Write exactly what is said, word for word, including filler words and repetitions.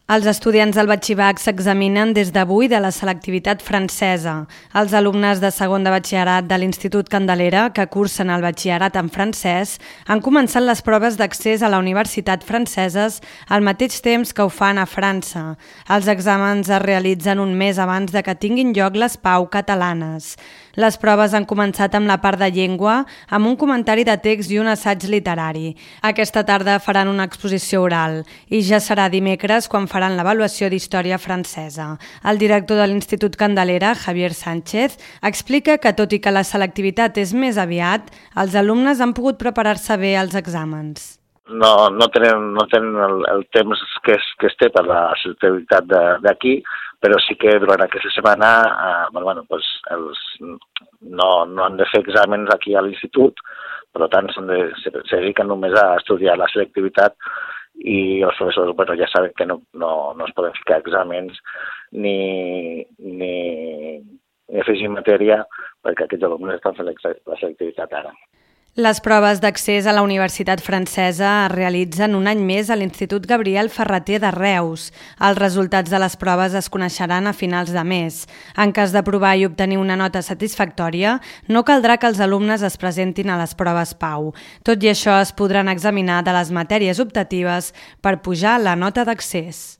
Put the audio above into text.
Els estudiants del batxillerat s'examinen des d'avui de la selectivitat francesa. Els alumnes de segon de batxillerat de l'Institut Candelera, que cursen el batxillerat en francès, han començat les proves d'accés a la universitat franceses al mateix temps que ho fan a França. Els exàmens es realitzen un mes abans de que tinguin lloc les PAU catalanes. Les proves han començat amb la part de llengua, amb un comentari de text i un assaig literari. Aquesta tarda faran una exposició oral i ja serà dimecres quan faran l'avaluació d'història francesa. El director de l'Institut Candelera, Javier Sánchez, explica que tot i que la selectivitat és més aviat, els alumnes han pogut preparar-se bé als exàmens. No, no tenen, no tenen el, el temps que es, que es té per la selectivitat d'aquí, però sí que durant aquesta setmana eh, bueno, pues els, no, no han de fer exàmens aquí a l'institut, per tant de, se, se dediquen només a estudiar la selectivitat i els professors bueno, ja saben que no, no, no es poden ficar exàmens ni, ni, ni afegir matèria perquè aquests alumnes estan fent la selectivitat ara. Les proves d'accés a la Universitat Francesa es realitzen un any més a l'Institut Gabriel Ferrater de Reus. Els resultats de les proves es coneixeran a finals de mes. En cas d'aprovar i obtenir una nota satisfactòria, no caldrà que els alumnes es presentin a les proves PAU. Tot i això, es podran examinar de les matèries optatives per pujar la nota d'accés.